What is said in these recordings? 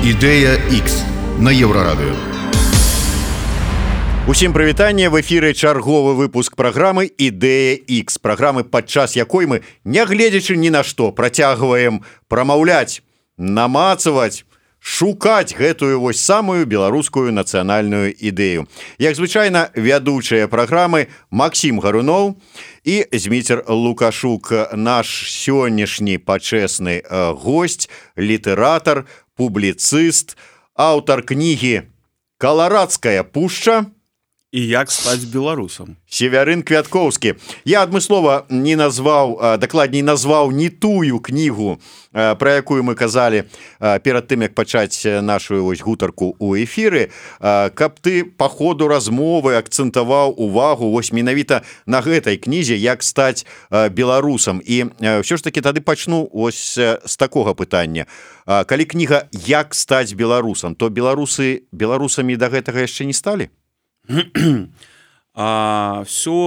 Ідэя X на Еўрарадыё. Усім прывітанне, в эфіры чарговы выпуск праграмы «Ідэя X», праграмы, падчас якой мы, нягледзячы ні на што, працягваем прамаўляць, намацаваць, шукаць гэтую вось самую беларускую нацыянальную ідэю. Як звычайна, вядучыя праграмы Максім Гаруноў і Зміцер Лукашук, наш сённяшні пачэсны госць, літаратар, публіцыст, аўтар кнігі «Каларадская пушча» і як стаць беларусам. Севярын Квяткоўскі. Я адмыслова не назваў, дакладней назваў не тую кнігу, пра якую мы казалі перад тым, як пачаць нашу вось гутарку ў эфіры, каб ты па ходу размовы акцэнтаваў увагу вось менавіта на гэтай кнізе «Як стаць беларусам». І ўсё ж такі тады пачну ось з такога пытання. Калі кніга «Як стаць беларусам», то беларусы беларусамі да гэтага яшчэ не сталі? Все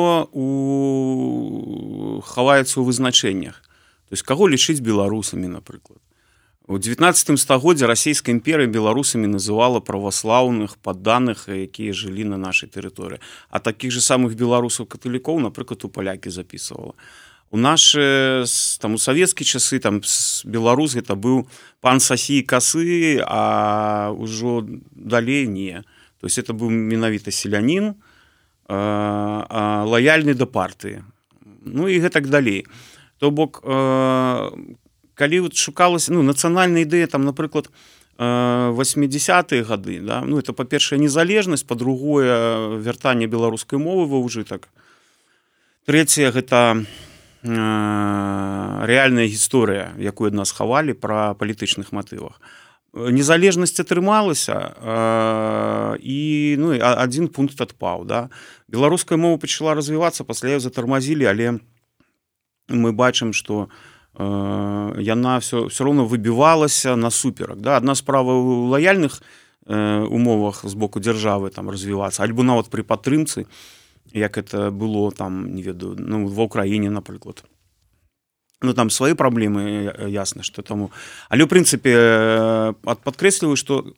хаваецца ў вызначэннях. То есть каго лічыць беларусамі, напрыклад. У 19 стагоддзі расійская імперыя беларусамі называла праваслаўных падданых, якія жылі на нашай тэрыторыі. А такіх же самых беларусаў-каталікоў, напрыклад, у палякі запісвала. У нашы там у савецкія часы там беларус гэта быў пан Сасі і Касы, а ўжо далей не. То есть это быў менавіта селянін, лаяльны да партыі. Ну і гэтак далей. То бок, калі шукалася нацыянальная ідэя, там, напрыклад, 80-е гады, да? Это, па-першае, незалежнасць, па-другое, вяртанне беларускай мовы ва ўжытак. Трэцяе, гэта рэальная гісторыя, якую ад нас хавалі пра палітычных матывах. Незалежнасць атрымалася, і адзін пункт адпаў. Да? Беларуская мова пачала развівацца, пасля яе затармазілі, але мы бачым, што яна все роўна выбівалася насуперак. Да? Адна справа ў лаяльных умовах з боку дзяржавы там развівацца, альбо нават пры падтрымцы, як это было там, не ведаю, ва ўкраіне, напрыклад. Там свае праблемы, ясна, што таму. Але, ў прынцыпе, падкрэсліваю, што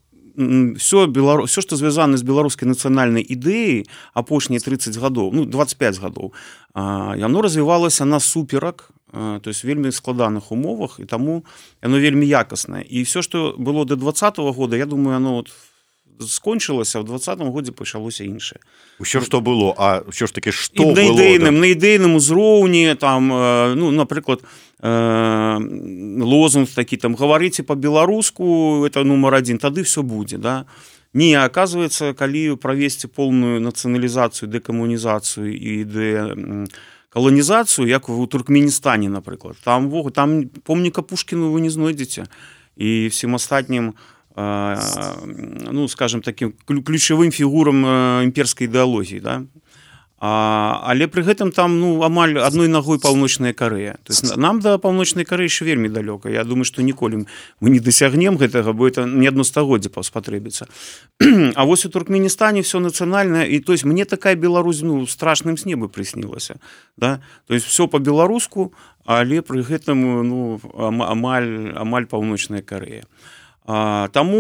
все, што звязана з беларускай нацыянальнай ідэяй апошнія 30 гадоў, 25 гадоў, яно развівалася насуперак, то есть вельмі складаных умовах, і таму яно вельмі якаснае. І все, што было да 20-го года, я думаю, яно скончылася, а ў 20-м годзе пачалося іншае. Усё, што было, а ўсё ж такі, што было? На ідэйным узроўні, там, напрыклад, лозунг такі, там, гаварыце па-беларуску, это нумар 1, тады все будзе, да? Не, аказваецца, калі правесці поўную нацыяналізацыю, дэкамунізацыю і каланізацыю, як у Туркменістане, напрыклад, там помніка Пушкіну вы не знойдзеце, і всім астатнім скажем, таким ключавым фігурам імперскай ідэалогіі, да? Але пры гэтым там амаль адной нагой Паўночная Карэя. То есть нам да Паўночнай Карэі яшчэ вельмі далёка. Я думаю, што ніколі мы не дасягнем гэтага, бо это не адно стагоддзе спатрэбіцца. А вось у Туркменістане все нацыянальнае, і то есть мне такая Беларусь страшным сне бы прыснілася. Да? То есть все па-беларуску, але пры гэтым амаль Паўночная Карэя. Таму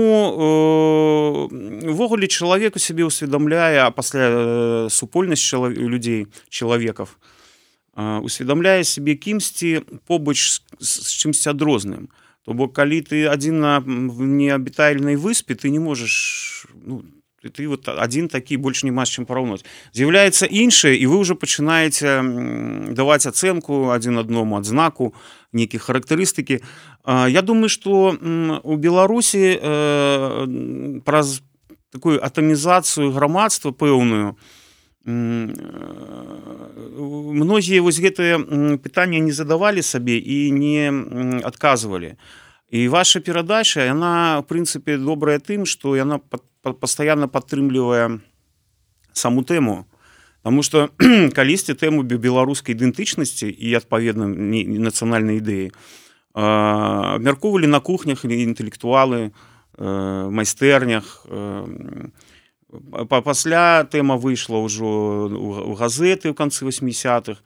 увогуле чалавек у сябе ўсведамляе, а пасля супольнасць людзей, чалавекаў, усведамляе сябе кімсьці побач з чымсьці адрозным. То бок, калі ты адзін на неабітальнай выспе, ты не можаш, ты вот адзін такі, больш няма з чым параўнаць. З'яўляецца іншае, і вы ўжо пачынаеце даваць ацэнку адзін аднаму, адзнаку, нейкія характарыстыкі. Я думаю, што у Беларусі праз такую атамізацыю грамадства пэўную многія вось гэтыя пытанні не задавалі сабе і не адказвалі. І ваша перадача, яна, в прынцыпе, добрая тым, што яна пастаянна падтрымлівае саму тэму. Таму што калісьці тэму беларускай ідэнтычнасці і, адпаведна, нацыянальнай ідэі абмяркоўвалі на кухнях інтэлектуалы, майстэрнях. Пасля тэма выйшла ўжо ў газеты ў канцы 80-х.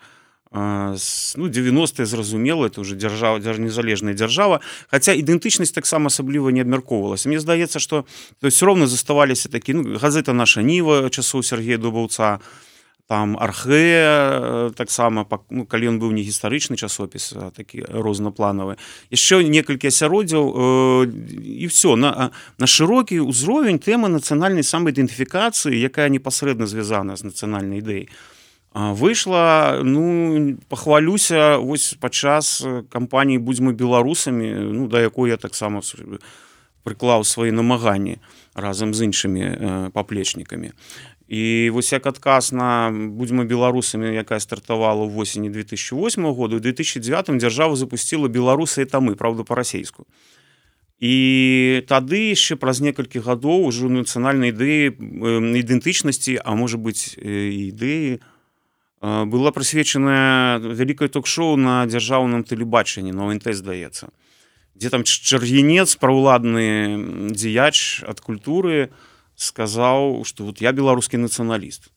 ну, 90-е, зразумела, это уже дзяржава, незалежная дзяржава, хаця ідэнтычнасць таксама асабліва не абмяркоўвалася. Мне здаецца, што ўсё роўна заставаліся такі, ну, газета «Наша Ніва» часоў Сергея Дубаўца, там «Архэ», таксама, ну, калі ён быў не гістарычны часопіс, а такі рознапланавы. Яшчэ некалькі асяроддзяў, і ўсё. На шырокі ўзровень тэмы нацыянальнай самаідэнтыфікацыі, якая непасрэдна звязана з нацыянальнай ідэяй, выйшла, ну, пахвалюся, вось падчас кампаніі «Будзьмо беларусамі», ну, да якой я таксама прыклаў свае намаганні разам з іншымі паплечнікамі. І вось як адказ на «Будзьмо беларусамі», якая стартавала ў восені 2008 года, у 2009 дзяржава запусціла «Беларусы – это мы», правда, па-расейску. І тады яшчэ праз некалькі гадоў ужо нацыянальнай ідэі ідэнтычнасці, а можа быць і ідэі, была прысвечаная вялікае ток-шоу на дзяржаўным тэлебачанні, на ОНТ, здаецца, дзе там Чаргінец, праўладны дзеяч ад культуры, сказаў, што вот я беларускі нацыяналіст.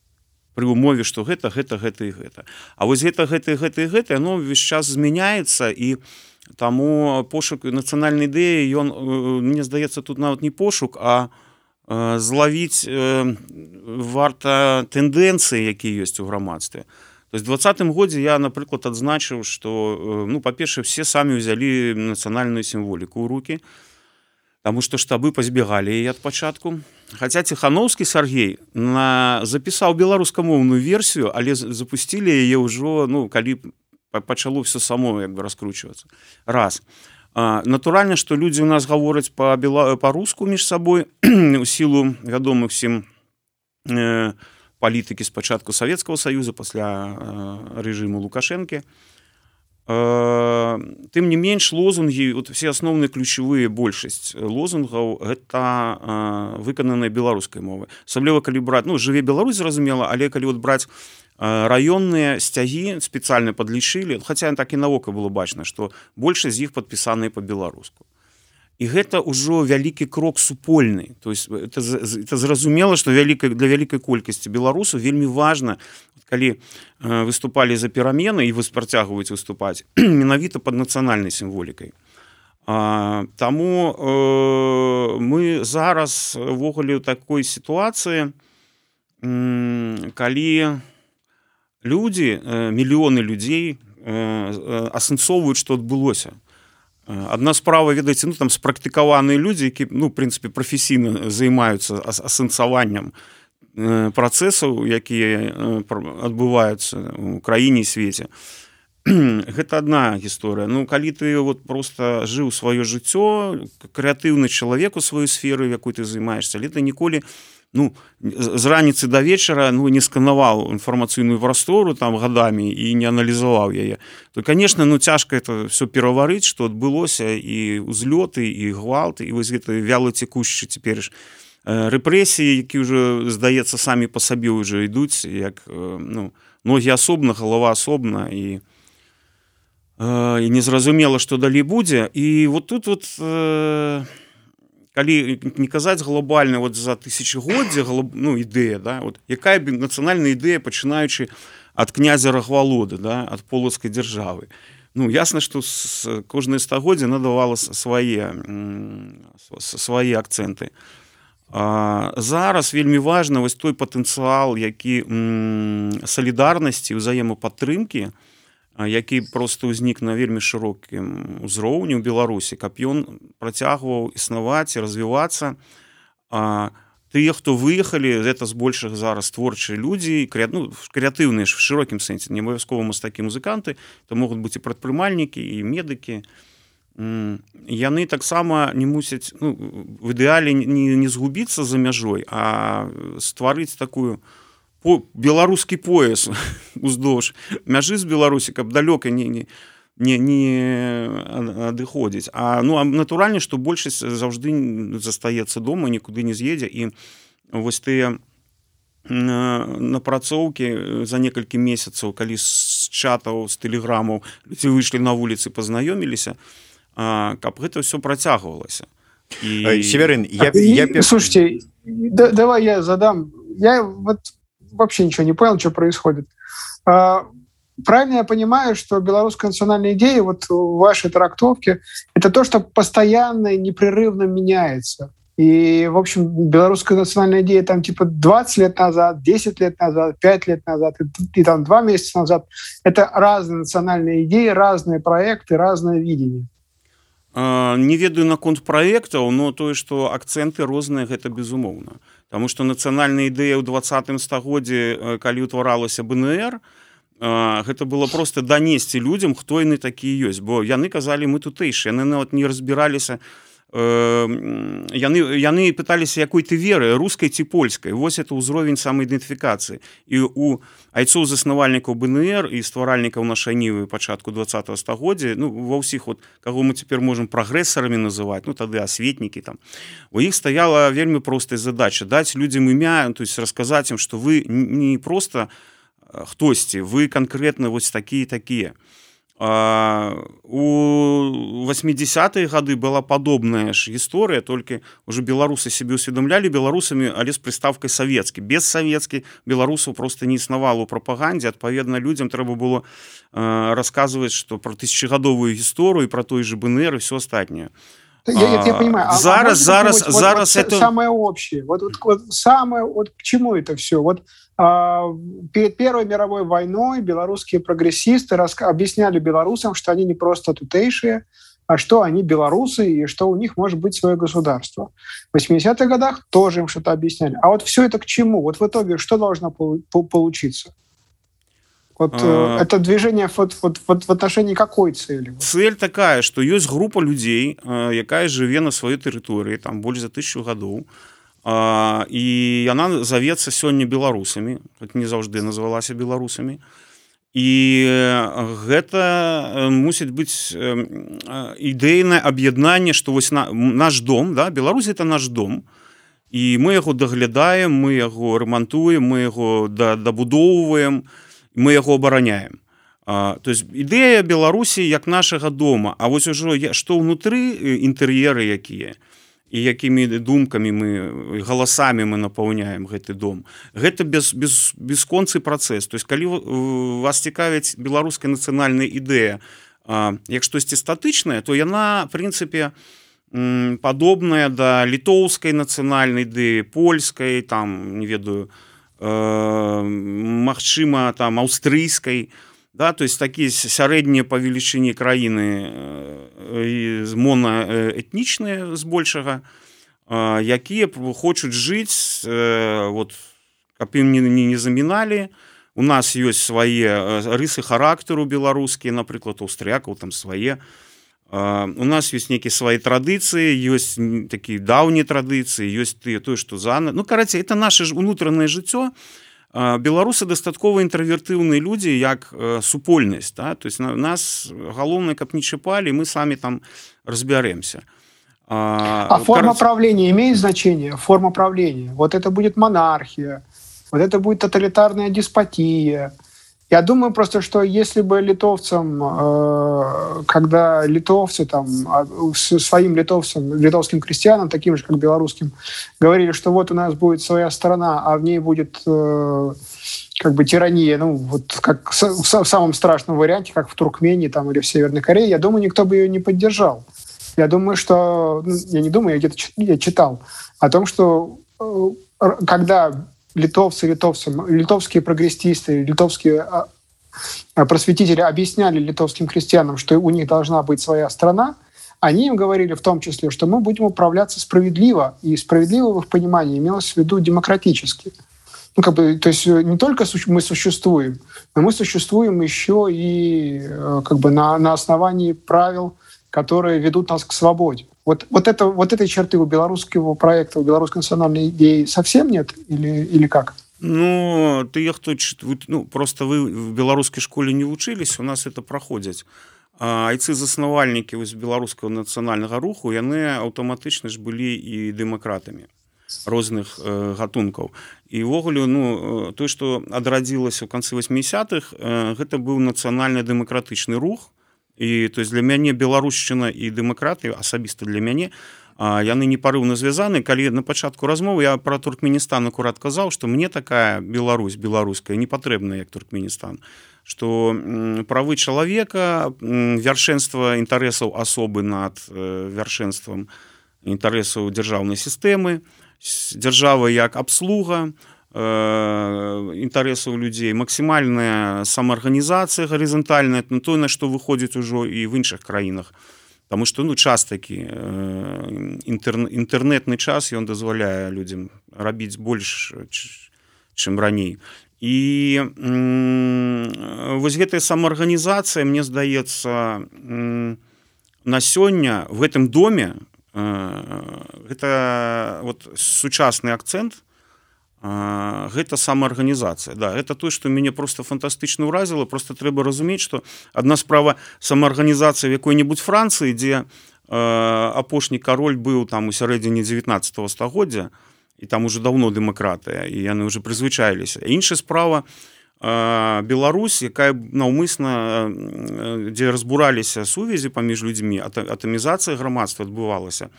Пры умове, што гэта і гэта. А вось гэта, яно ўвесь час змяняецца, і таму пошук нацыянальнай ідэі, ён, мне здаецца, тут нават не пошук, а злавіць варта тэндэнцыі, якія ёсць у грамадстве. То есть в 2020 годзе я, напрыклад, адзначыў, што, ну, па-першае, все самі ўзялі нацыянальную сімволіку ў рукі, таму што штабы пазбегалі яе ад пачатку. Хаця Ціхановскі Сергей запісаў беларускамоўную версію, але запусцілі яе ўжо, ну, калі пачало все само як бы раскручвацца. Раз. Натуральна, што людзі ў нас гавораць па-руску між сабой у сілу вядомых всім палітыкі спачатку Савецкага Саюза, пасля рэжыму Лукашэнкі. Тым не менш, лозунгі, вот все асноўныя ключавыя, большасць лозунгаў, гэта выкананыя беларускай мовай. Асабліва калі браць, ну, «Жыве Беларусь», зразумела, але калі вот браць раённыя сцягі, спецыяльна падлічылі, хаця так і навока было бачна, што большасць з іх падпісаныя па-беларуску. І гэта ўжо вялікі крок супольны. То есть это зразумела, што для вялікай колькасці беларусаў вельмі важна, калі выступалі за перамены і працягваюць выступаць, менавіта пад нацыянальнай сімволікай. Таму мы зараз увогуле ў такой сітуацыі, калі людзі, мільёны людзей асэнсоўваюць, што адбылося. Адна справа, ведаеце, ну, там спрактыкаваныя людзі, які, ну, в прынцыпе, прафесійна займаюцца асэнсаваннем працэсаў, якія адбываюцца ў краіне і свеце. Гэта адна гісторыя. Ну, калі ты вот просто жыў сваё жыццё, крэатыўны чалавек у сваёй сферы, якой ты займаешься, але ты ніколі, ну, з раніцы да вечара, ну, не сканаваў інфармацыйную прастору там гадамі і не аналізаваў яе, то, конечно, ну, цяжка это все пераварыць, што адбылося, і ўзлёты, і гвалт, і вось гэта вялоцекушчы цяпер ж рэпрэсіі, які ўжо, здаецца, самі па сабе ўжо ідуць, як, ну, ногі асобна, галава асобна, і незразумела, што далей будзе. І вот тут вот, калі не казаць глобальна вот за тысячагоддзе, ну, ідэя, да, вот, якая нацыянальная ідэя, пачынаючы ад князя Рагвалоды, да, ад полацкай дзяржавы. Ну, ясна, што кожнае стагоддзе надавала свае акцэнты. Зараз вельмі важна вось той патэнцыял, які салідарнасці, узаемападтрымкі, які просто ўзнік на вельмі шырокім узроўні ў Беларусі, каб ён працягваў існаваць і развівацца. Тыя, хто выехалі, гэта збольшага зараз творчыя людзі, ну, крэатыўныя в шырокім сэнсе, не абавязкова мастакі, музыканты, то могуць быць і прадпрымальнікі, і медыкі. Яны таксама не мусяць, ну, в ідэале не згубіцца за мяжой, а стварыць такую беларускі пояс уздоўж мяжы з Беларусі, каб далёка не адыходзіць. Ну, натуральна, што большасць заўжды застаецца дома, нікуды не з'едзе, і вось тыя напрацоўкі за некалькі месяцаў, калі з чатаў, з тэлеграмаў людзі выйшлі на вуліцы, пазнаёміліся, каб гэта ўсё працягвалася. Северин, слушайте, давай я задам. Я вот вообще ничего не понял, что происходит. правильно я понимаю, что белорусская национальная идея, вот в вашей трактовке, это то, что постоянно и непрерывно меняется. И, в общем, белорусская национальная идея там типа 20 лет назад, 10 лет назад, 5 лет назад и там 2 месяца назад. Это разные национальные идеи, разные проекты, разное видение. Не ведаю наконт праектаў, но тое, што акцэнты розныя, гэта безумоўна. Таму што нацыянальная ідэя ў 20 стагоддзі, калі ўтваралася БНР, гэта было проста данесці людзям, хто яны такія ёсць, бо яны казалі, мы тутэйшыя, яны нават не разбіраліся, яны пыталіся, якой ты веры, рускай ці польскай. Вось это ўзровень самаідэнтыфікацыі. І у айцоў заснавальнікаў БНР і стваральнікаў нашай нівы пачатку 20 стагоддзя, ну, ва ўсіх, вот, каго мы цяпер можам прагрэсарамі называць, ну, тады асветнікі там, у іх стаяла вельмі простая задача даць людзям імя, то есть расказаць ім, што вы не проста хтосьці, вы канкрэтна вось такія. У 80-е гады была падобная ж гісторыя, толькі ўжо беларусы сябе ўсведамлялі беларусамі, але з прыставкай савецкі. Без савецкі беларусаў проста не існавала ў прапагандзе, адпаведна людзям трэба было расказваць, што пра тысячагадовую гісторыю, пра той же БНР і все астатняе. Я понимаю. Зараз это самое общее. Вот к чему это все? Вот перед Первой мировой войной белорусские прогрессисты объясняли белорусам, что они не просто тутейшие, а что они белорусы и что у них может быть свое государство. В 80-х годах тоже им что-то объясняли. А вот все это к чему? Вот в итоге что должно получиться? Вот это движение в отношении какой цели? Цель такая, что есть группа людей, якая живе на своей территории, там больше за 1000 годов, и она зовется сёння белорусами, хоть не заўжды называлася белорусами, и гэта мусіць быць ідэйнае аб'яднанне, что вось наш дом, да, Беларусь это наш дом, и мы яго даглядаем, мы яго ремонтуем, мы яго дабудоўваем, мы яго абараняем. То есть ідэя Беларусі як нашага дома, а вось ужо што ўнутры інтэр'еры якія і якімі думкамі мы, галасамі мы напаўняем гэты дом. Гэта бесконцы працэс. То есть калі вас цікавіць беларуская нацыянальная ідэя як штосьці статычнае, то яна, в прынцыпе, падобная да літоўскай нацыянальнай ідэі, польскай, там, не ведаю, магчыма, там, аўстрыйскай, да, то есть такія сярэднія па велічыні краіны монаэтнічныя збольшага, якія хочуць жыць, вот, каб ім не заміналі. У нас ёсць свае рысы характару беларускія, напрыклад, аўстрыякаў там свае. У нас ёсць нейкія свае традыцыі, ёсць такія даўнія традыцыі, ёсць тое, што зана. Ну, карацей, это наше ўнутранае жыццё. Беларусы дастаткова інтравертыўныя людзі, як супольнасць. Да? То есть нас галоўнае, каб не чапалі, мы самі там разбярэмся. А форма правления имеет значение? Форма правления. Вот это будет монархия, вот это будет тоталитарная деспотия. Я думаю просто, что если бы литовцам, когда литовцы там, своим литовским крестьянам, таким же, как белорусским, говорили, что вот у нас будет своя страна, а в ней будет как бы тирания, ну, вот как в самом страшном варианте, как в Туркмении там, или в Северной Корее, я думаю, никто бы ее не поддержал. Я думаю, что... Ну, я не думаю, я читал о том, что когда... литовские прогрессисты, литовские просветители объясняли литовским крестьянам, что у них должна быть своя страна, они им говорили в том числе, что мы будем управляться справедливо, и справедливо в их понимании имелось в виду демократически. Ну, как бы, то есть не только мы существуем, но мы существуем еще и как бы на основании правил, которые ведут нас к свободе. Вот этой черты у белорусского проекта, у белорусской национальной идеи совсем нет? Или как? Ну, просто вы в белорусской школе не вучылись, у нас это проходит. Айцы-заснавальнікі беларускага нацыянальнага руху, яны аўтаматычна ж былі і дэмакратамі розных гатункаў. І ўвогуле, тое, што адрадзілася ў канцы 80-х, гэта быў нацыянальны дэмакратычны рух, І то есть для мяне беларушчына і дэмакратыя асабіста для мяне яны непарыўна звязаны. Калі на пачатку размовы я про Туркменістан акурат казаў, што мне такая Беларусь беларуская не патрэбна як Туркменістан, што правы чалавека, вяршэнства інтарэсаў асобы над вяршэнствам інтарэсаў дзяржаўнай сістэмы, дзяржава як абслуга інтарэсаў людзей, максімальная самаарганізацыя гарызантальная, тое, на што выходзіць ужо і в іншых краінах. Таму што час такі інтэрнэтны час ён дазваляе людзям рабіць больш, чым раней. І вось гэтая самаарганізацыя, мне здаецца, на сёння в гэтым доме гэта вот сучасны акцэнт, гэта самаарганізацыя. Да, гэта тое, што мяне просто фантастычна ўразіла. Просто трэба разумець, што адна справа самаарганізацыя в якой-небудзь Францыі, дзе апошні кароль быў там у сярэдзіне 19 стагоддзя, і там уже даўно дэмакратыя, і яны уже прызвычаіліся. Іншая справа Беларусь, якая наўмысна, дзе разбураліся сувязі паміж людзьмі, атамізацыя грамадства адбывалася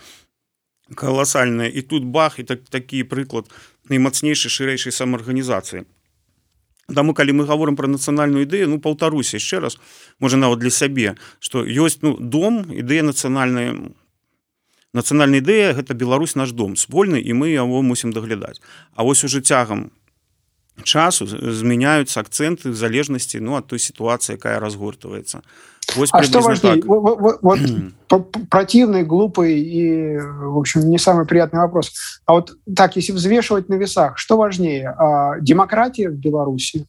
каласальная, і тут бах, і такі прыклад наймацнейшай шырэйшай самаарганізацыі. Таму калі мы гаворым пра нацыянальную ідэю, паўтаруся яшчэ раз, можа нават для сябе, што ёсць дом, ідэя нацыянальная ідэя, гэта Беларусь наш дом спольны, і мы яго мусім даглядаць. А вось уже цягам часу змяняюцца акцэнты в залежнасці от той ситуации, якая разгортывается. А что важнее? Вот противный, глупый и, в общем, не самый приятный вопрос. А вот так, если взвешивать на весах, что важнее? Демократия в Беларуси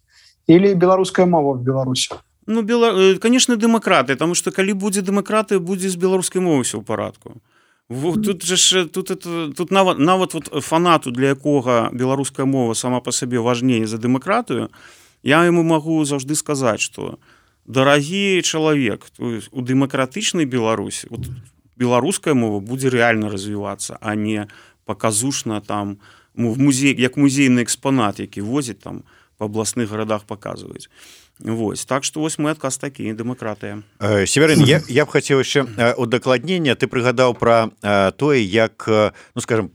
или белорусская мова в Беларуси? Конечно, демократия, потому что калі будзе демократия, будзе з беларускай мовай все ў парадку. Тут нават вот фанату, для якога беларуская мова сама по сабе важней за дэмакратыю, я ему могу заўжды сказаць, что дарагі чалавек, у дэмакратычнай Беларусі беларуская мова будзе рэальна развівацца, а не паказушна там як музейны экспанат, які возіць там па абласных гарадах паказваюць. Вось, так што вось мой адказ такі, дэмакратыя. Северин, я б хацеў яшчэ удакладнення. Ты прыгадаў пра тое, як, скажем,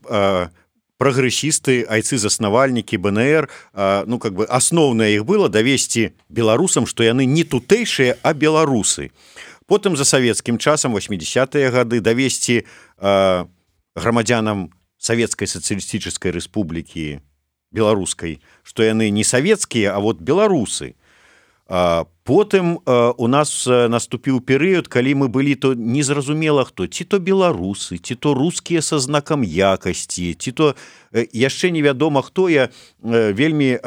прагрэсісты, айцы-заснавальнікі БНР, асноўнае іх было давесці беларусам, што яны не тутэйшыя, а беларусы. Потым за савецкім часам, 80-е гады, давесці грамадзянам Савецкай сацыялістычнай рэспублікі беларускай, што яны не савецкія, а вот беларусы. Потым у нас наступіў перыяд, калі мы былі то незразумела хто, ці то беларусы, ці то рускія са знакам якасці, ці то яшчэ невядома хто. Я вельмі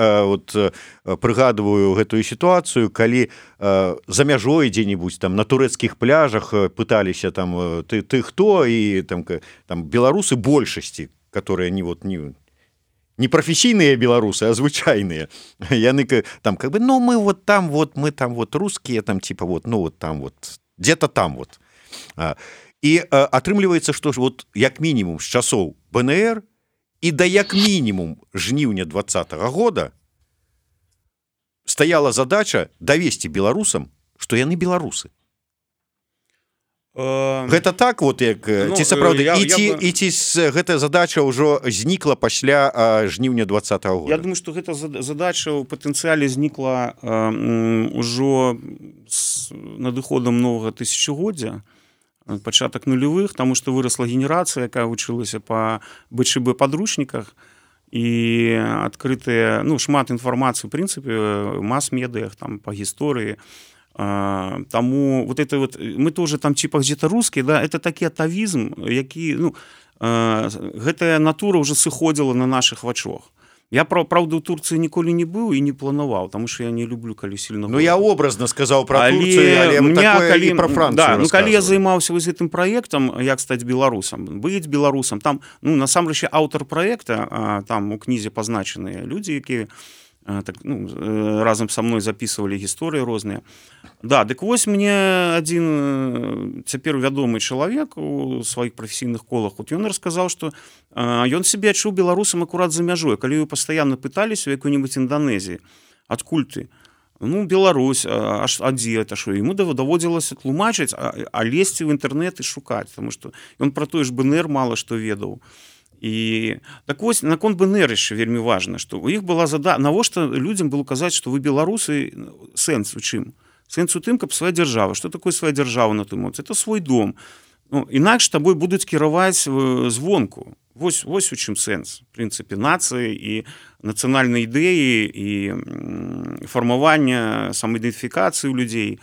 прыгадываю гэтую сітуацыю, калі за мяжой дзе-небудзь там на турэцкіх пляжах пыталіся там ты хто, і там беларусы большасці, которые не професійныя беларусы, а звычайныя. Яны там мы там рускія, там там где-то там . І атрымліваецца, што як мінімум з часоў БНР і да як мінімум жніўня 20-го года стаяла задача давесці беларусам, што яны беларусы. Гэта так, як ці сапраўды, і ці гэтая задача ўжо знікла пасля жніўня 20-го года? Я думаю, што гэта задача ў патэнцыяле знікла ўжо з надыходам новага тысячагоддзя, пачатак нулявых, таму што вырасла генерацыя, якая вучылася па БЧБ падручніках, і адкрытыя шмат інфармацыі ў прынцыпе мас-медыях там па гісторыі. Таму мы тоже там типа где-то русские, да, это такі атавізм, які гэтая натура уже сыходзіла на наших вачах. Я правда у Турцыі ніколі не быў і не планаваў, таму што я не люблю калі сильно. Я образно сказаў про Турцыю, але такое і про Францыю. Калі я займаўся вось гэтым праектам, як стаць беларусам, быць беларусам, там насамрэч аўтар праекта, там у кнізе пазначаныя людзі, якія разам са мной записывалі гісторыі розныя. Да, дык вось мне адзін цяпер вядомы чалавек у сваіх прафесійных колах, ён расказаў, што ён сябе адчуў беларусам акурат за мяжой. Калі вы пастаянна пыталіся у якой-небудзь Інданезіі, адкуль ты? Ну, Беларусь, а дзе это што? Яму даводзілася тлумачыць, а лезці ў інтэрнэт і шукаць, таму што ён пра той ж БНР мала што ведаў. І так вось наконт БНР яшчэ вельмі важна, што у іх была навошта людзям было казаць, што вы беларусы, сэнс у чым? Сэнс у тым, каб свая дзяржава. Што такое свая дзяржава на той момант? Это свой дом. Ну, інакш табой будуць кіраваць звонку. Вось у чым сэнс, в прынцыпе, нацыі і нацыянальнай ідэі і фармавання самаідэнтыфікацыі ў людзей,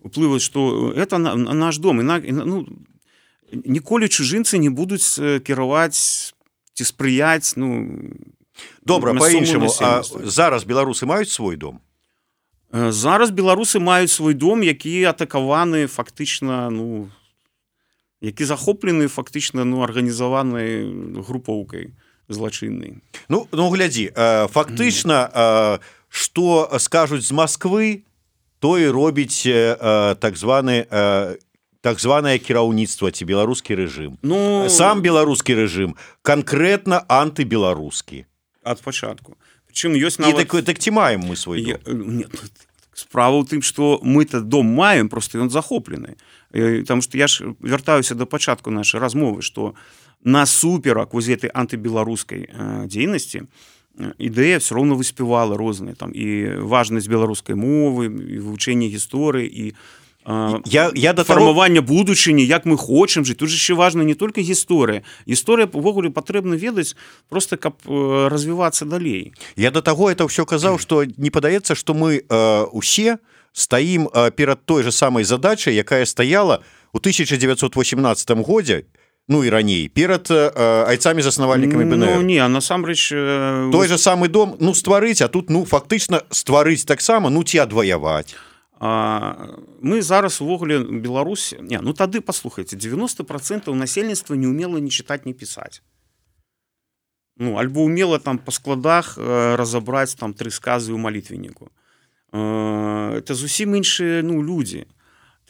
уплываць, што это наш дом. Ну, ніколі чужынцы не будуць кіраваць ці спрыяць, ну, добра, па-іншаму, а зараз беларусы маюць свой дом? Зараз беларусы маюць свой дом, які атакаваны фактычна, ну, які захоплены фактычна, ну, арганізаванай групоўкай злачыннай. Ну, глядзі, фактычна, што скажуць з Масквы, то і робіць так званае кіраўніцтва ці беларускі рэжым. Ну, сам беларускі рэжым канкрэтна антыбеларускі. Ад пачатку. Прычым ёсць нават... Так ці маем мы свой дом? Нет, справа ў тым, што мы-то дом маем, просто ён захоплены. Таму што я ж вяртаюся да пачатку нашай размовы, што насуперак вось гэтай антыбеларускай дзейнасці ідэя все роўна выспявала розныя там і важнасць беларускай мовы, і вывучэнне гісторыі, і фармавання будучыні, як мы хочам жыць. Тут же яшчэ важна не толькі гісторыя. Гісторыя увогуле патрэбна ведаць просто каб развівацца далей. Я да таго это ўсё казаў, што не падаецца, што мы усе стаім перад той же самай задачай, якая стаяла ў 1918 годзе, ну і раней, перад айцамі-заснавальнікамі БНР. Ну не, а насамрэч... Той же самы дом, ну, стварыць, а тут, ну, фактычна стварыць таксама, ну, ці адваяваць. Мы зараз увогуле Беларусь... Не, ну тады, паслухайце, 90% насельніцтва не умела ні чытаць, ні пісаць. Ну, альбо умела там па складах разабраць там 3 сказы ў малітвенніку. Это зусім іншыя, ну, людзі.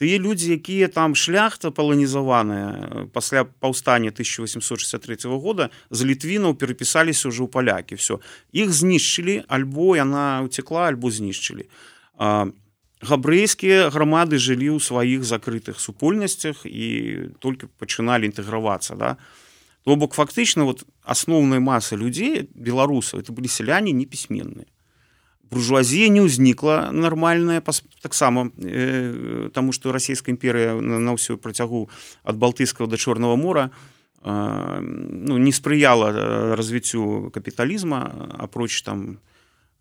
Тыя людзі, якія там шляхта паланізаваная пасля паўстання 1863 года з літвінаў перапісаліся ўжо ў палякі. Всё. Іх знішчылі, альбо яна уцекла, альбо знішчылі. Габрэйскія грамады жылі ў сваіх закрытых супольнасцях і толькі пачыналі інтэгравацца, да? То бок фактычна вот асноўная маса людзей беларусаў это былі сяляне непісьменныя. Буржуазія не ўзнікла нармальная таксама, таму што расійская імперыя на ўсё працягу ад Балтыйскага да Чорнага мора ну, не спрыяла развіццю капіталізма, апроч там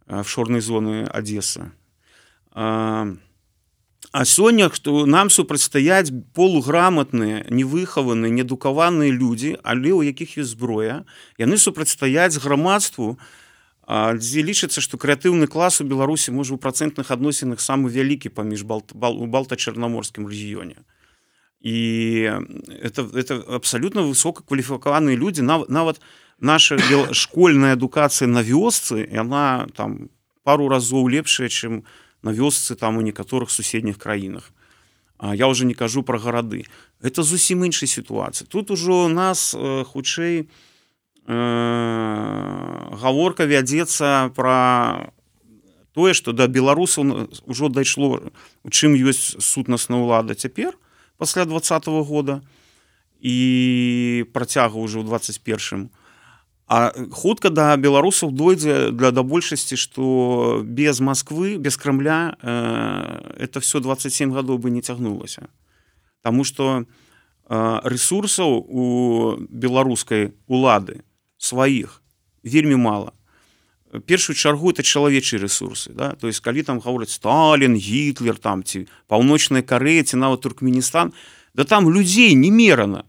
офшорнай зоны Адесса. А сёння што нам супрацьстаяць полуграмотныя, невыхаваныя, неадукаваныя людзі, але ў якіх ёсць зброя, яны супрацьстаяць грамадству, дзе лічыцца, што крэатыўны клас у Беларусі можа ў працэнтных адносінах самы вялікі паміж балта-чарнаморскім рэгіёне. І это абсалютна высокакваліфікаваныя людзі, нават наша школьная адукацыя на вёсцы, яна там пару разоў лепшая, чым на вёсцы там у некаторых суседніх краінах. Я ўжо не кажу пра гарады. Это зусім іншая сітуацыя. Тут ужо нас хутчэй гаворка вядзецца пра тое, што да беларусаў ўжо дайшло, у чым ёсць сутнасная ўлада цяпер, пасля 20-го года, і працяга ўжо ў 21-м. А хутка да беларусаў дойдзе да большасці, што без Масквы, без Крамля это все 27 гадоў бы не цягнулася. Таму што рэсурсаў у беларускай улады сваіх вельмі мала. Першую чаргу это чалавечыя рэсурсы, да? То есть калі там гавораць Сталін, Гітлер там ці Паўночная Карэя ці нават Туркменістан, да там людзей немерана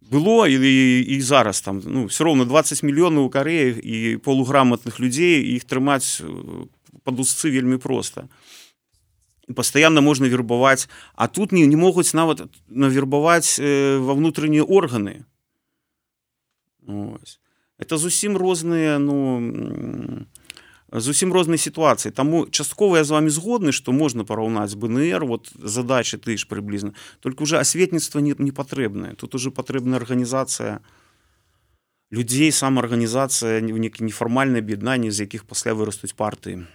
было і зараз там, ну, все роўна 20 мільёнаў у Карэі і полуграмотных людзей, іх трымаць пад узцы вельмі проста. І пастаянна можна вербаваць, а тут не могуць нават навербаваць ва внутрэннія органы. Ось. Это зусім розныя, ну, зусім розныя сітуацыі. Таму часткова я з вами згодны, што можна параўнаць БНР, вот задачы ты ж прыблізна. Толькі уже асветніцтва не патрэбнае. Тут уже патрэбная арганізацыя людзей, самаарганізацыя, нейкі нефармальнае аб'яднанне, з якіх пасля вырастуць партыі.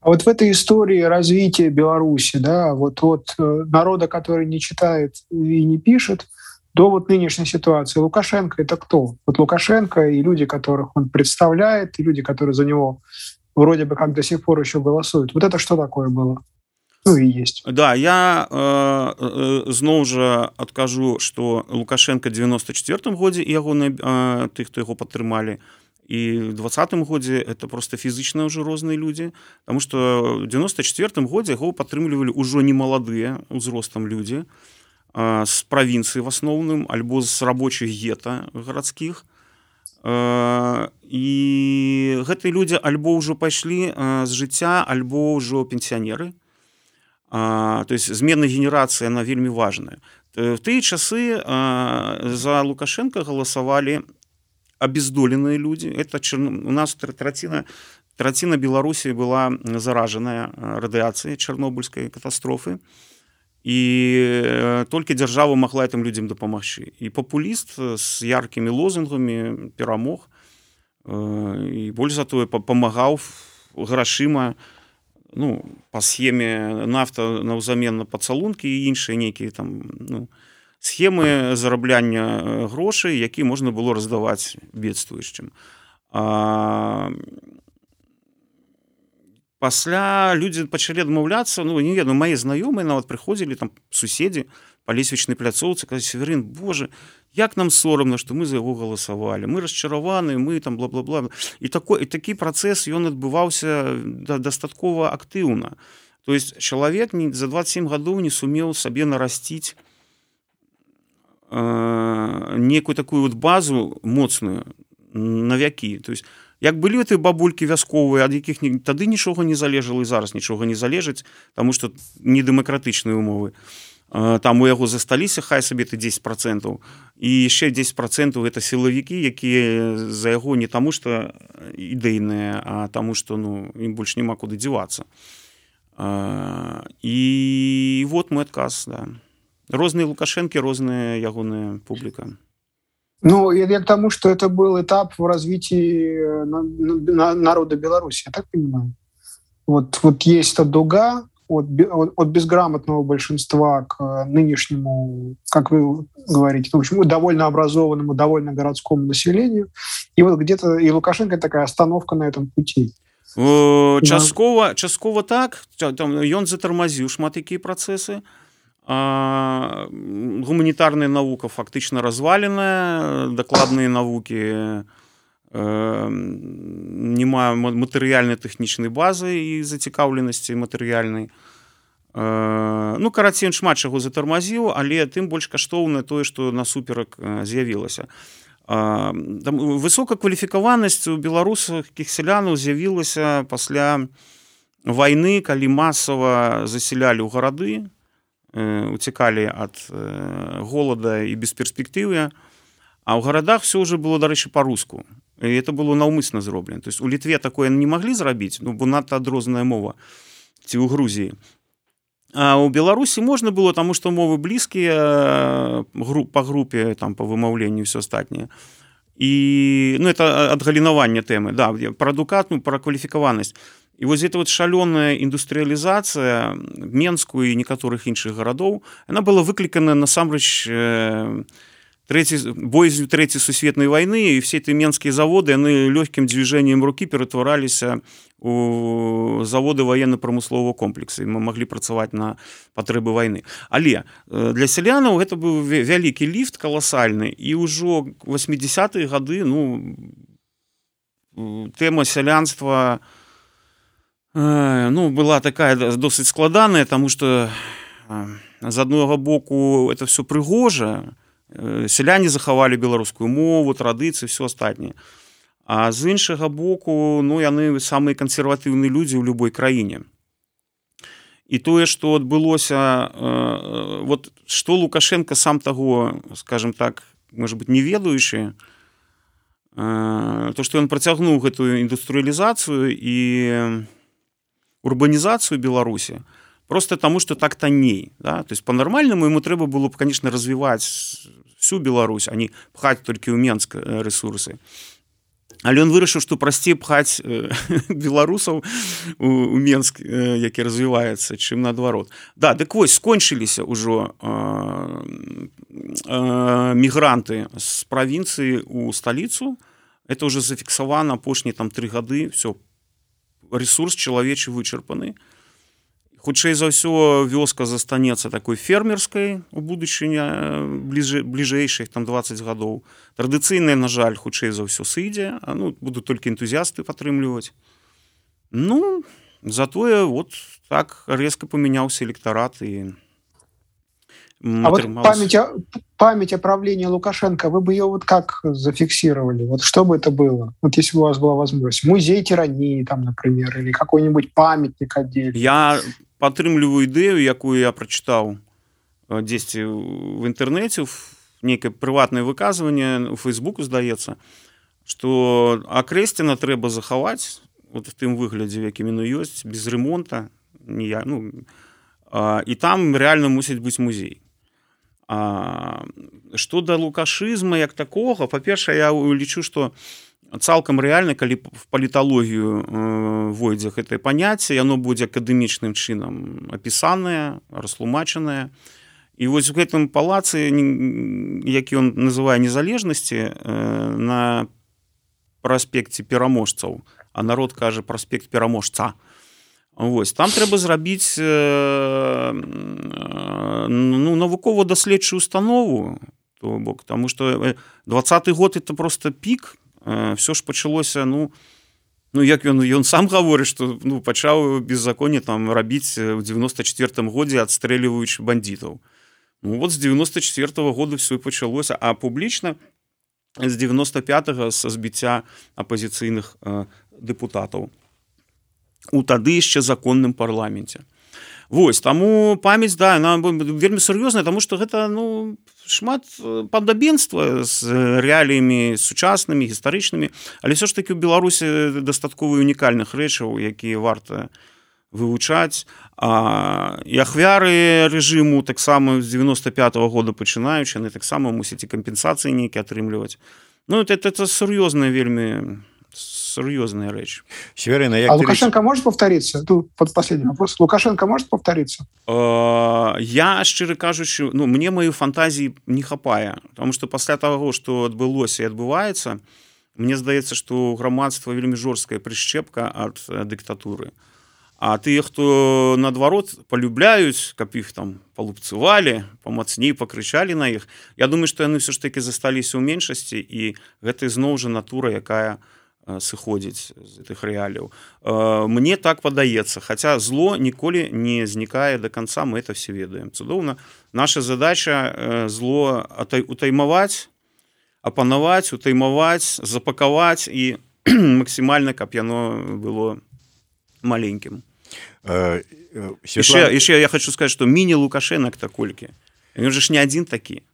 А вот в этой истории развития Беларуси, да, вот народа, который не читает и не пишет, до вот нынешней ситуации Лукашенко — это кто? Вот Лукашенко и люди, которых он представляет, и люди, которые за него вроде бы как до сих пор еще голосуют. Вот это что такое было? Ну и есть. Да, я зноў жа адкажу, што Лукашенко 94 годзе і тых, хто яго падтрымалі, і в 20-м годзе это просто фізычна ўжо розныя людзі, таму што в 94 годзе яго падтрымлівалі ўжо не маладыя узростам людзі з правінцыі в асноўным альбо з рабочых гета гарадскіх. І гэтыя людзі альбо ўжо пайшлі з жыцця, альбо ўжо пенсіянеры. То есть змена генерацыі, она вельмі важная. В тыя часы за Лукашенко галасавалі обездоленные люди. Это у нас траціна Беларусі была заражаная радыяцыяй чарнобыльскай катастрофы. І толькі дзяржава магла гэтым людзям дапамагчы. І папуліст з яркімі лозунгамі перамог. І больш за тое памагаў грашыма, ну, па схеме нафта наўзамен на пацалункі і іншыя нейкія там, ну, схемы зарабляння грошай, які можна было раздаваць бедствуючым. Пасля людзі пачалі адмаўляцца, ну, не ведаю, мае знаёмыя нават прыходзілі, там, суседзі па лесвічнай пляцоўцы, казалі: Северин, боже, як нам сорамна, што мы за яго галасавалі, мы расчараваны, мы там бла-бла-бла. І такі працэс, ён адбываўся дастаткова актыўна. То есть чалавек за 27 гадоў не сумеў сабе нарасціць некую такую вот базу моцную на вякі. То есть як былі гэтыя бабулькі вясковыя, ад якіх тады нічога не залежала і зараз нічога не залежыць, таму што недэмакратычныя умовы. Там у яго засталіся хай сабе ты 10%, і яшчэ 10% гэта сілавікі, якія за яго не таму што ідэйныя, а таму што, ну, ім больш няма куды дзівацца. І вот мой адказ, да. Розныя Лукашэнкі, розная ягоная публіка. Ну, я к тому, что это был этап в развитии народа Беларуси, я так понимаю. Вот есть эта дуга от безграмотного большинства к нынешнему, как вы говорите, в общем, довольно образованному, довольно городскому населению. И вот где-то и Лукашенко такая остановка на этом пути. Часткова так, там ён затармазіў шмат якія працэсы. Гуманітарная навука фактычна разваленая, дакладныя навукі не мае матэрыяльнай тэхнічнай базы і зацікаўленасці матэрыяльнай. Ну, карацей, шмат чаго затармазіў, але тым больш каштоўнае тое, што насуперак з'явілася. Высокакваліфікаванасць у беларускіх сялянаў з'явілася пасля вайны, калі масава засялялі ў гарады, уцекали ад голода і бесперспектывы, а ў гарадах все уже было, дарэчы, па-руску. І это было наўмысна зроблена. То есть у Літве такое не маглі зрабіць, ну, бо надта адрозная мова, ці ў Грузіі. А ў Беларусі можна было, таму што мовы блізкія па групе, там, па вымаўленню і ўсё астатняе. І, ну, это адгалінаванне тэмы, да, пра адукатную, пра кваліфікаванасць. І вось эта вот шалёная індустрыялізацыя Менску і некаторых іншых гарадоў, яна была выклікана насамрэч боязью Трэцяй сусветнай вайны, і все эти менскія заводы, яны лёгкім движением рукі ператвараліся у заводы военно-прамыслового комплексу, і мы маглі працаваць на патрэбы вайны. Але для сялянаў гэта быў вялікі ліфт каласальны, і ўжо 80-е гады, ну, тэма сялянства, ну, была такая досыць складаная, таму што з аднаго боку это все прыгожа, сяляне захавалі беларускую мову, традыцыі, все астатняе. А з іншага боку, ну, яны самыя кансерватыўныя людзі ў любой краіне. І тое, што адбылося, вот што Лукашенко сам таго, скажем так, можа быць, не ведаючы, то, што ён працягнуў гэтую індустрыялізацыю і урбанізацыю Беларусі, просто таму, што так танней. Да? То есть па-нармальнаму ему трэба было б, конечно, развіваць всю Беларусь, а не пхаць толькі ў Менск рэсурсы. Але ён вырашыў, што прасцей пхаць беларусаў у Менск, які развіваецца, чым наадварот. Да, дык вось скончыліся ўжо мігранты з правінцыі ў сталіцу. Это уже зафіксавана апошнія 3 гады. Все, ресурс чалавечы вычарпаны. Хутчэй за ўсё вёска застанецца такой фермерскай у будучыні бліжэйшых 20 гадоў. Традыцыйная, на жаль, хутчэй за ўсё сыдзе, будуць толькі энтузіасты падтрымліваць. Затое вот так резко памяняўся электарат і А вот память о правлении Лукашенко, вы бы ее вот как зафиксировали? Вот что бы это было? Вот если бы у вас была возможность. Музей тирании, там, например, или какой-нибудь памятник отдельный. Я падтрымліваю ідэю, якую я прачытаў дзесьці в інтэрнэце, нейкае прыватнае выказванне у Фейсбуку, здаецца, што Акрэсціна трэба захаваць вот в тым выглядзе, якім яно ёсць, без ремонта, і там рэальна мусіць быць музей. Што да лукашызма як такога, па-першае, я лічу, што цалкам рэальна, калі в паліталогію войдзе гэтае паняцце, яно будзе акадэмічным чынам апісанае, растлумачанае. І вось у гэтым палацы, які ён называе незалежнасці, на праспекце пераможцаў, а народ кажа праспект пераможца. Вось, там трэба зрабіць навукова-даследчую установу, то бок, таму што 20-й год это просто пік. Все ж пачалося, як ён сам гаворыць, што пачаў беззаконне там рабіць у 94-м годзе, адстрэліваючы бандітаў. Вот з 94-го года все і пачалося, а публічна з 95-го са збіцця апазіцыйных дэпутатаў у тады яшчэ законным парламенце. Вось, таму памяць, да, яна вельмі сур'ёзная, таму што гэта, шмат падабенства з рэаліямі сучаснымі, гістарычнымі, але все ж такі ў Беларусі дастаткова унікальных рэчаў, якія варта вывучаць. І ахвяры рэжыму таксама з 95-го года пачынаючы, яны таксама мусяць і кампенсацыі нейкія атрымліваць. Это сур'ёзная вельмі серьезная речь. Северина, Лукашенко может повториться? Тут последний вопрос. Лукашенко может повториться? Я, шчыра кажучы, мне маю фантазіі не хапае, потому что пасля таго, што адбылося і адбываецца, мне здаецца, што грамадства вельмі жорсткая прышчэпка ад дыктатуры. А тыя, хто наадварот палюбляюць, каб іх там палупцавалі, памацней пакрычалі на іх, я думаю, што яны все ж таки засталіся ў меншасці, і гэта зноў жа натура, якая сыходзіць з гэтых рэаліяў. Мне так падаецца, хаця зло ніколі не знікае до конца, мы это все ведаем. Цудоўна. Наша задача зло утаймаваць, апанаваць, утаймаваць, запакаваць і максімальна, каб яно было маленькім. Яшчэ я хочу сказаць, што міні-Лукашэнак таколькі. Ён же ж не адзін такі.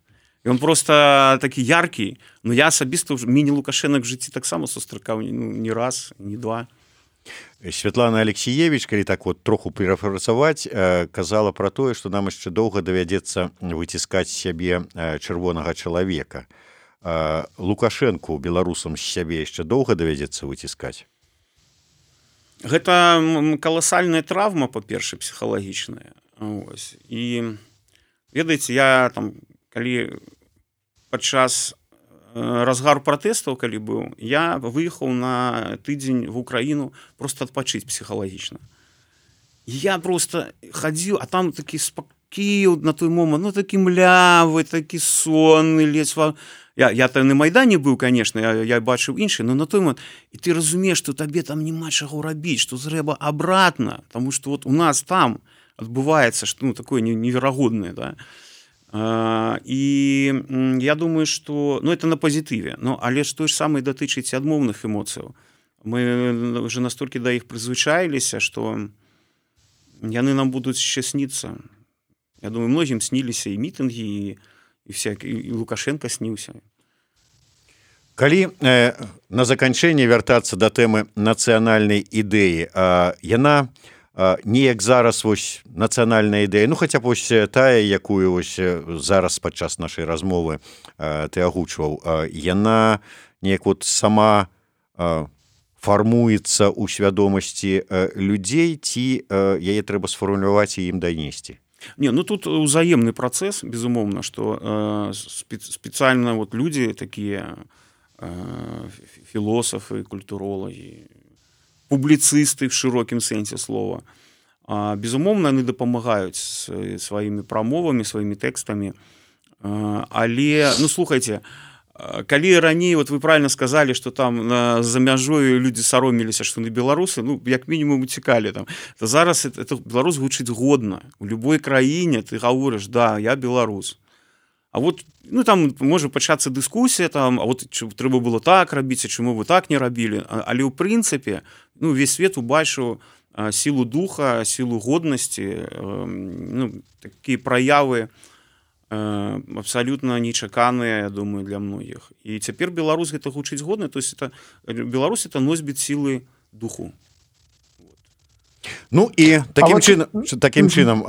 Ён просто такі яркі, но я асабіста міні-Лукашэнак в жыцці таксама сустракаў не раз, не два. Святлана Алексеевич, калі так вот троху перафрасаваць, казала пра тое, што нам яшчэ доўга давядзецца выціскаць сябе чырвонага чалавека. Лукашэнку беларусам з сябе яшчэ доўга давядзецца выціскаць? Гэта каласальная траўма, па-першае, псіхалагічная. І ведаеце, я там, калі падчас разгару пратэстаў, калі быў, я выехаў на тыдзень в Украіну просто адпачыць псіхалагічна. Я просто хадзіў, а там такі спакіў на той момант, такі млявы, такі сонны, ледзь. Я там на Майдане быў, конечно, я бачыў іншы, но на той момант, і ты разумееш, што табе там няма чаго рабіць, што трэба абратна, таму што вот у нас там адбываецца што такое неверагоднае, да. І я думаю, што это на пазітыве, але ж той ж самае датычыць адмоўных эмоцыяў. Мы уже настолькі да іх прызвычаіліся, што яны нам будуць яшчэ сніцца. Я думаю, многім сніліся і мітынгі, і Лукашенко сніўся. Калі на заканчэнне вяртацца да тэмы нацыянальнай ідэі, яна неяк зараз вось нацыянальная ідэя, хаця б вось тая, якую вось зараз падчас нашай размовы ты агучваў, яна неяк вот сама фармуецца ў свядомасці людзей, ці яе трэба сфармуляваць і ім данесці? Не, ну тут узаемны працэс, безумоўна, што спецыяльна вот людзі такія філосафы, культуролагі, публіцысты в шырокім сэнсе слова. Безумоўна, яны дапамагаюць сваімі прамовамі, сваімі тэкстамі. Але, ну, слухайце, калі раней, вот вы правильно сказали, что там за мяжою людзі сароміліся, што на беларусы, ну, як мінімум уцікалі там, то зараз это беларус гучыць годна. У любой краіне ты гаворыш, да, я беларус. А вот, ну, там можа пачацца дыскусія, там, а вот трэба было так рабіць, а чаму вы так не рабілі. Але ў прынцыпе, ну, весь свет убачыў сілу духа, сілу годнасці, ну, такія праявы абсалютна нечаканыя, я думаю, для многіх. І цяпер беларус гэта гучыць годна, то есть это Беларусь это носьбіт сілы духу. Ну і такім чынам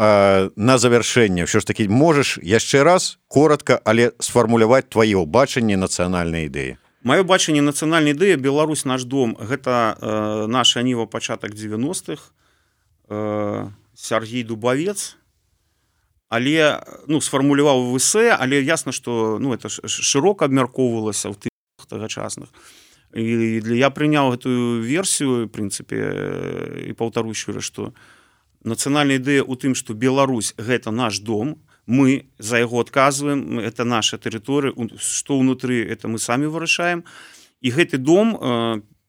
на завяршэнне ўсё ж такі можаш яшчэ раз коротка, але сфармуляваць тваё бачанне нацыянальнай ідэі. Маё бачанне нацыянальнай ідэі Беларусь наш дом, гэта наша ніва пачатак 90-х, Сергей Дубавец, але, ну, сфармуляваў в эсэ, але ясна, што, ну, это шырока абмяркоўвалася ў тых тагачасных. І я прыняў гэтую версію, в прынцыпе, і паўтару еще раз, што нацыянальная ідэя ў тым, што Беларусь гэта наш дом, мы за яго адказваем, это наша тэрыторыя, што ўнутры, это мы самі вырашаем. І гэты дом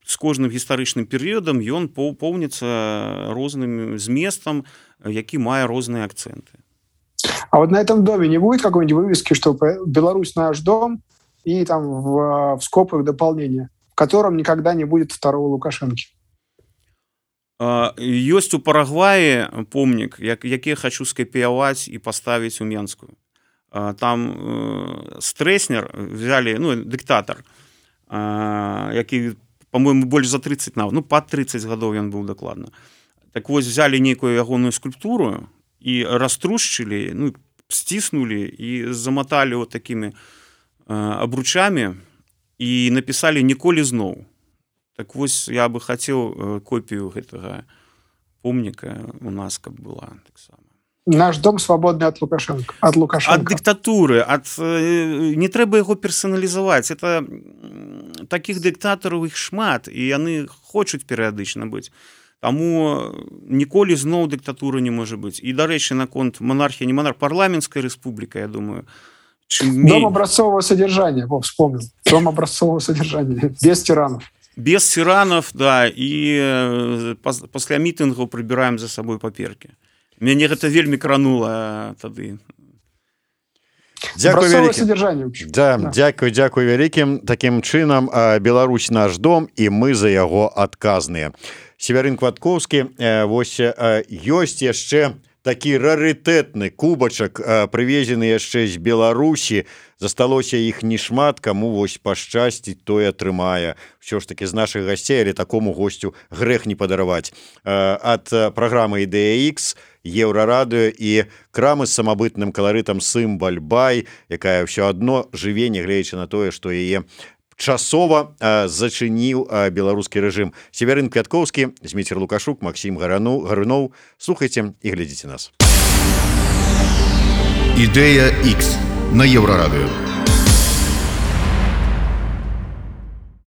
з кожным гістарычным перыядам ён поўніцца розным зместам, які мае розныя акцэнты. А вот на этом доме не будет какой-нибудь вывески, что Беларусь наш дом, и там в скобках дополнение, в котором никогда не будет второго Лукашенки? Ёсць у Парагваі помнік, які я хочу скапіяваць і паставіць у Менскую. Там Стрэснер взяли, ну, дыктатар, які, по-моему, больш за 30, ну, пад 30 гадоў ён быў дакладна. Так вось, взяли нейкую ягоную скульптуру і раструшчылі, ну, сціснулі і заматалі вот такімі абручамі і напісалі «Ніколі зноў». Так вось, я бы хацеў копію гэтага помніка у нас, каб была таксама. Наш дом свободны ад Лукашенко. Ад дыктатуры, не трэба яго персаналізаваць. Это такіх дыктатараў іх шмат, і яны хочуць перыядычна быць. Таму ніколі зноў дыктатура не можа быць. І, дарэчы, наконт монархія, не монарх, парламенцкая рэспубліка, я думаю. Дом образцового содержания, вспомнил. Дом образцового содержания, без тиранов. Без тиранов, да, і пасля мітынгаў прыбіраем за сабой паперкі. Мяне гэта вельмі кранула тады. Дзякуй вялікім. Да, дзякуй вялікім. Такім чынам, Беларусь наш дом, і мы за яго адказныя. Северын Кваткоўскі, вось ёсць яшчэ такі рарытэтны кубачак, прывезены яшчэ з Беларусі. Засталося іх не шмат, каму вось пашчасціць, той атрымае. Ўсё ж такі з нашых гасцей, але такому госцю грэх не падараваць. Ад праграмы «Ідэя Х», Еўрарадыё і крамы з самабытным каларытам «Сымбаль Бай», якая ўсё адно жыве, нягледзячы на тое, што яе часова зачыніў беларускі рэжым. Северын Квяткоўскі, Зміцер Лукашук, Максім Гаруноў. Слухайце і глядзіце нас. «Ідэя Х» на Еўрарадыё.